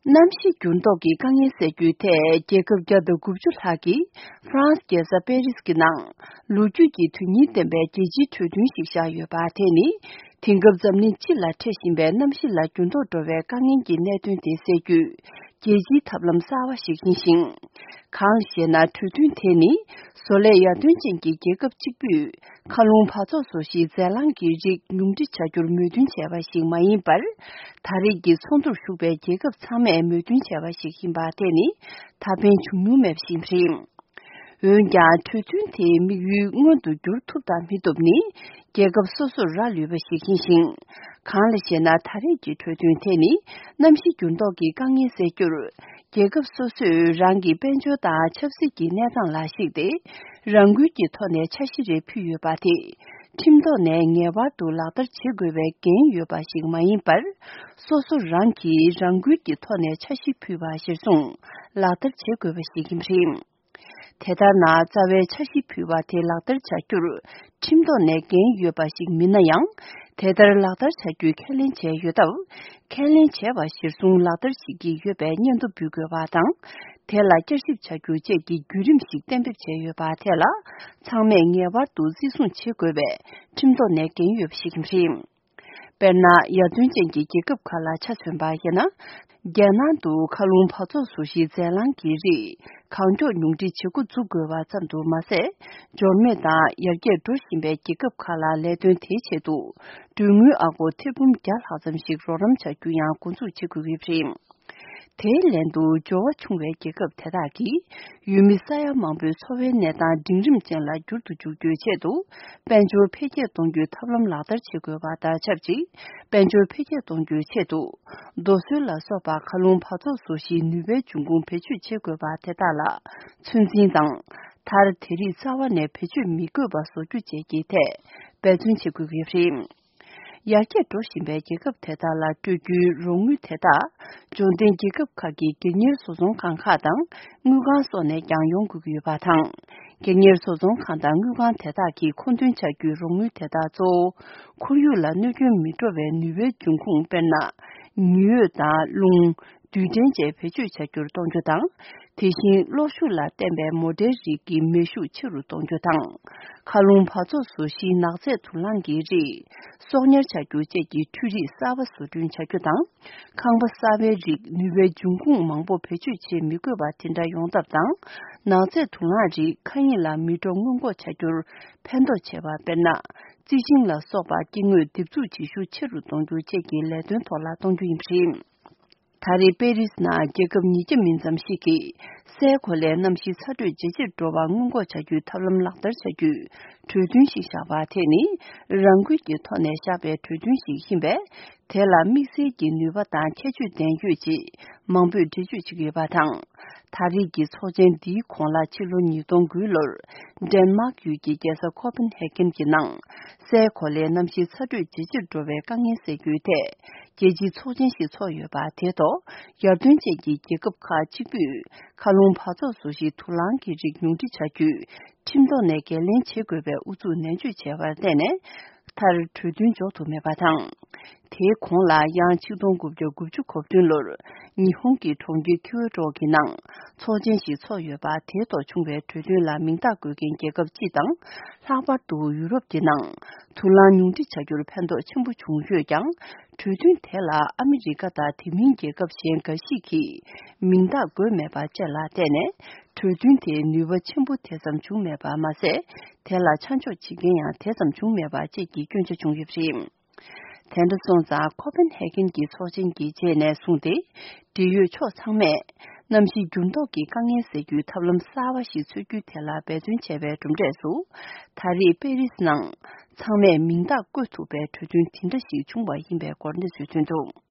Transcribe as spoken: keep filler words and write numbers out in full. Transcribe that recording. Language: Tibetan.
གནམ་གཤིས་འགྱུར་ལྡོག་གི་དཀའ་ངལ་སེལ་རྒྱུའི་ཐད་རྒྱལ་ཁབ་བརྒྱ་དང་དགུ་བཅུ་ལྷག་གིས་ཧྥ་རན་སི་རྒྱལ་ས་པེ་རི་སི་གི་ནང་ལོ་རྒྱུས་ཀྱི་དོན་སྙིང་ལྡན་པའི་རྒྱལ་སྤྱིའི་གྲོས་མཐུན་ཞིག་བཞག་ཡོད་པ་དེ་ནི། དེང་སྐབས་འཛམ་གླིང་སྤྱི་ལ་འཕྲད་བཞིན་པའི་གནམ་གཤིས་ལ་འགྱུར་ལྡོག་འགྲོ་བའི་དཀའ་ངལ་གྱི་གནད་དོན་དེ་སེལ་རྒྱུའི་རྒྱལ་སྤྱིའི་ཐབས་ལམ་གསར་བ་ཞིག་ཡིན་ཞིང་། གང་ཞེ་ན། གྲོས་མཐུན་དེ་ནི་བཟོ་ལས་ཡར་ཐོན་ཅན་གྱི་རྒྱལ་ཁབ་གཅིག་པུས་མཁའ་རླུང་འབག་བཙོག་བཟོ་གཞིའི་རྫས་རླངས་ཀྱི་རིགས་ཉུང་འཕྲི་བྱ་རྒྱུར་མོས་མཐུན་བྱས་པ་ཞིག་མ་ཡིན་པར། ད་རེས་ཀྱི་ཚོགས་འདུར་ཞུགས་པའི་རྒྱལ་ཁབ་ཚང་མས་མོས་མཐུན་བྱས་པ་ཞིག་ཡིན་པ་དེ་ནི་ད་ཕན་བྱུང་མྱོང་མེད་པ་ཞིག་རེད། འོན་ཀྱང་། གྲོས་མཐུན་དེའི་དམིགས་ཡུལ་མངོན་དུ་འགྱུར་ཐུབ་དང་མི་ཐུབ་ནི། རྒྱལ་ཁབ་སོ་སོར་རག་ལུས་པ་ཞིག་ཡིན་ཞིང་། གང་ལ་ཞེ་ན། ད་རེས་ཀྱི་གྲོས་མཐུན་དེ་ནི་གནམ་གཤིས་འགྱུར་ལྡོག་གི་དཀའ་ངལ་སེལ་རྒྱུར། རྒྱལ་ཁབ་སོ་སོས་རང་གི་དཔལ་འབྱོར་དང་ཆབ་སྲིད་ཀྱི་གནས་སྟངས་ལ་གཞིགས་ཏེ། རང་འགུལ་གྱི་ཐོག་ནས་འཆར་གཞི་རེ་ཕུལ་ཡོད་པ་དེ། ཁྲིམས་ཐོག་ནས་ངེས་པར་དུ་ལག་བསྟར་བྱེད་དགོས་པའི་འགན་ཡོད་པ་ཞིག་མ་ཡིན་པར། སོ་སོ་རང་གིས་རང་འགུལ་གྱི་ཐོག་ནས་འཆར་གཞི་ཕུལ་བ་གཞིར་བཟུང་ལག་བསྟར་བྱེད་དགོས་པ་ཞིག་ཡིན་པ་རེད། དེ་ལྟར་ན། རྩ་བའི་འཆར་གཞི་ཕུལ་བ་དེ་ལག་བསྟར་བྱ་རྒྱུར་ཁྲིམས་ཐོག་ནས་འགན་ཡོད་པ་ཞིག་མིན་ན་ཡང་། དེ་ལྟར་ལག་བསྟར་བྱ་རྒྱུའི་ཁས་ལེན་བྱས་ཡོད་སྟབས། ཁས་ལེན་བྱས་པ་གཞིར་བཟུང་ལག་བསྟར་བྱེད་ཀྱི་ཡོད་པའི་སྙན་ཐོ་འབུལ་དགོས་པ་དང་། དེ་ལ་བསྐྱར་ཞིབ་བྱ་རྒྱུ་བཅས་ཀྱི་བརྒྱུད་རིམ་ཞིག་གཏན་འབེབས་བྱས་ཡོད་པ་དེ་ལ། ཚང་མས་ངེས་པར་དུ་བརྩི་སྲུང་བྱེད་དགོས་པའི་ཁྲིམས་ཐོག་ནས་འགན་ཡོད་པ་ཞིག་རེད། དཔེར་ན། ཡར་ཐོན་ཅན་གྱི་རྒྱལ་ཁབ་ཁག་ལ་ཆ་མཚོན་པ་ཡིན་ན། རྒྱལ་ནང་དུ་མཁའ་རླུང་འབག་བཙོག་བཟོ་གཞིའི་རྫས་རླངས་ཀྱི་རིགས་གང་མགྱོགས་ཉུང་འཕྲི་བྱེད་འགོ་འཛུགས་དགོས་པ་ཙམ་དུ་མ་ཟད། འབྱོར་མེད་དང་ཡར་རྒྱས་འགྲོ་བཞིན་པའི་རྒྱལ་ཁབ་ཁག་ལ་ལས་དོན་དེའི་ཆེད་དུ་གྲོན་དངུལ་ཨ་སྒོར་ཐེར་འབུམ་བརྒྱ་ལྷག་ཙམ་ཞིག་རོགས་རམ་བྱ་རྒྱུ་ཡང་འགོ་འཛུགས་བྱེད་དགོས་ཀྱི་རེད། དེའི་ལན་དུ་འབྱོར་བ་ཆུང་བའི་རྒྱལ་ཁབ་དེ་དག་གིས་ཡུལ་མི་ས་ཡ་མང་པོའི་འཚོ་བའི་གནས་སྟངས་འབྲིང་རིམ་ཅན་ལ་འགྱུར་དུ་འཇུག་རྒྱུའི་ཆེད་དུ། དཔལ་འབྱོར་འཕེལ་རྒྱས་གཏོང་རྒྱུའི་ཐབས་ལམ་ལག་བསྟར་བྱེད་དགོས་པ་དང་ཆབས་ཅིག་དཔལ་འབྱོར་འཕེལ་རྒྱས་གཏོང་རྒྱུའི་ཆེད་དུ། རྡོ་སོལ་ལ་སོགས་པ་མཁའ་རླུང་འབག་བཙོག་བཟོ་གཞིའི་ནུས་པའི་འབྱུང་ཁུངས་བེད་སྤྱོད་བྱེད་དགོས་པ་དེ་དག་ལ་ཚོད་འཛིན་དང་། མཐར། དེ་རིགས་རྩ་བ་ནས་བེད་སྤྱོད་མི་དགོས་པ་བཟོ་རྒྱུ་བཅས་ཀྱི་ཐད་འབད་བརྩོན་བྱེད་དགོས་ཀྱི་རེད། ཡར་རྒྱས་འགྲོ་བཞིན་པའི་རྒྱལ་ཁབ་དེ་དག་ལ་སྤྲོད་རྒྱུའི་རོགས་དངུལ་དེ་དག་འབྱོར་ལྡན་རྒྱལ་ཁབ་ཁག་གི་སྒེར་གཉེར་བཟོ་ཚོང་ཁང་ཁག་དང་དངུལ་ཁང་སོགས་ནས་ཀྱང་ཡོང་དགོས་ཀྱི་ཡོད་པ་དང་། སྒེར་གཉེར་བཟོ་ཚོང་ཁང་དང་དངུལ་ཁང་དེ་དག་གིས་མཁོ་འདོན་བྱ་རྒྱུའི་རོགས་དངུལ་དེ་དག་གཙོ་བོ་ཁོར་ཡུག་ལ་གནོད་སྐྱོན་མི་འགྲོ་བའི་ནུས་པའི་འབྱུང་ཁུངས། དཔེར་ན། ཉི་འོད་དང་རླུང་། རྡུལ་ཕྲན་བཅས་བེད་སྤྱོད་བྱ་རྒྱུར་གཏོང་རྒྱུ་དང་། དེ་བཞིན་གློག་ཤུགས་ལ་བརྟེན་པའི་མོ་ཊའི་རིགས་ཀྱི་མེ་ཤུགས་ཆེ་རུ་གཏོང་རྒྱུ་དང་། མཁའ་རླུང་འབག་བཙོག་བཟོ་གཞིའི་ནག་རྫས་དུག་རླངས་ཀྱི་རིགས་གསོག་ཉར་བྱ་རྒྱུ་བཅས་ཀྱི་འཕྲུལ་རིགས་གསར་པ་བཟོ་སྐྲུན་བྱ་རྒྱུ་དང་། ཁང་པ་གསར་པའི་རིགས་ནུས་པའི་འབྱུང་ཁུངས་མང་པོ་བེད་སྤྱོད་བྱེད་མི་དགོས་པ་དེ་འདྲ་ཡོང་ཐབས་དང་། ནག་རྫས་དུག་རླངས་རིགས་མཁའ་དབྱིངས་ལ་མི་འགྲོ་སྔོན་འགོག་བྱ་རྒྱུར་ཕན་ཐོགས་ཆེ་བ། དཔེར་ན། རྩི་ཤིང་ལ་སོགས་པ་སྐྱེ་དངོས་འདེབས་འཛུགས་བྱེད་ཤུགས་ཆེ་རུ་གཏོང་རྒྱུ་བཅས་ཀྱི་ལས་དོན་ཐོག་ལ་གཏོང་རྒྱུ་ཡིན་པ་རེད། ད་རེས་པེ་རིས་ནང་རྒྱལ་ཁབ་ཉིས་བརྒྱ་མིན་ཙམ་ཞིག་གིས་སའི་གོ་ལའི་གནམ་གཤིས་ཚ་དྲོད་ཇེ་ཆེར་འགྲོ་བ་སྔོན་འགོག་བྱ་རྒྱུའི་ཐབས་ལམ་ལག་བསྟར་བྱ་རྒྱུའི་གྲོས་མཐུན་ཞིག་བཞག་པ་དེ་ནི་རང་འགུལ་གྱི་ཐོག་ནས་བཞག་པའི་གྲོས་མཐུན་ཞིག་ཡིན་པས། དེ་ལ་དམིགས་བསལ་གྱི་ནུས་པ་དང་ཁྱད་ཆོས་ལྡན་ཡོད་ཅེས་མང་པོས་འགྲེལ་བརྗོད་བྱེད་ཀྱི་ཡོད་པ་དང་། ད་རེས་ཀྱི་ཚོགས་ཆེན་འདིའི་གོང་ལ་ཕྱི་ལོ་ཉིས་སྟོང་དགུའི་ལོར་ཌེན་མཱག་ཡུལ་གྱི་རྒྱལ་ས་ཁོ་པན་ཧེ་ཀན་གྱི་ནང་སའི་གོ་ལའི་གནམ་གཤིས་ཚ་དྲོད་ཇེ་ཆེར་འགྲོ་བའི་དཀའ་ངལ་སེལ་རྒྱུའི་ཐད། རྒྱལ་སྤྱིའི་ཚོགས་ཆེན་ཞིག་ཚོགས་ཡོད་པ་དེ་ཐོག་ཡར་ཐོན་ཅན་གྱི་རྒྱལ་ཁབ་ཁག་གཅིག་པུས་མཁའ་རླུང་འབག་བཙོག་བཟོ་གཞིའི་དུག་རླངས་ཀྱི་རིགས་ཉུང་འཕྲི་བྱ་རྒྱུའི་ཁྲིམས་ཐོག་ནས་འགན་ལེན་བྱེད་དགོས་པའི་ཨུ་ཚུགས་ནན་བརྗོད་བྱས་པར་བརྟེན་ནས། མཐར་གྲོས་མཐུན་འཇོག་ཐུབ་མེད་པ་དང་། དེའི་གོང་ལ་ཡང་ཆིག་སྟོང་དགུ་བརྒྱ་དགུ་བཅུ་གོ་བདུན་ལོར་ཉི་ཧོང་གི་གྲོང་ཁྱེར་ཁིའོ་ཊོ་གི་ནང་ཚོགས་ཆེན་ཞིག་ཚོགས་ཡོད་པ་དེའི་ཐོག་བྱུང་བའི་གྲོས་མཐུན་ལ་མིང་རྟགས་འགོད་མཁན་རྒྱལ་ཁབ་སྤྱི་དང་། ལྷག་པར་དུ་ཡུ་རོབ་ཀྱི་ནང་དུག་རླངས་ཉུང་འཕྲི་བྱ་རྒྱུར་ཕན་ཐོགས་ཆེན་པོ་བྱུང་ཡོད་ཀྱང་། གྲོས་མཐུན་དེ་ལ་ཨ་མི་རི་ཀ་དང་དེ་མིན་རྒྱལ་ཁབ་གཞན་འགའ་ཞིག་གིས་མིང་རྟགས་འགོད་མེད་པ་བཅས་ལ་བརྟེན་ནས། གྲོས་མཐུན་དེའི་ནུས་པ་ཆེན་པོ་དེ་ཙམ་བྱུང་མེད་པ་མ་ཟད། དེ་ལ་ཆ་འཇོག་བྱེད་མཁན་ཡང་དེ་ཙམ་བྱུང་མེད་པ་བཅས་ཀྱི་སྐྱོན་ཆ་བྱུང་ཡོད་པ་རེད། དེ་འདྲ་སོང་ཙང་། ཁོ་པན་ཧེ་ཀན་གྱི་ཚོགས་ཆེན་གྱི་རྗེས་ནས་བཟུང་སྟེ། འབྲེལ་ཡོད་ཕྱོགས་ཚང་མས་གནམ་གཤིས་འགྱུར་ལྡོག་གི་དཀའ་ངལ་སེལ་རྒྱུའི་ཐབས་ལམ་གསར་བ་ཞིག་འཚོལ་རྒྱུའི་ཐད་ལ་འབད་བརྩོན་བྱས་པའི་གྲུབ་འབྲས་སུ། ད་རེས་པེ་རིས་ནང་ཚང་མས་མིང་རྟགས་བཀོད་ཐུབ་པའི་གྲོས་མཐུན་དེ་འདྲ་ཞིག་བྱུང་བ་ཡིན་པའི་སྐོར་གནས་ཚུལ་ཐོན་འདུག།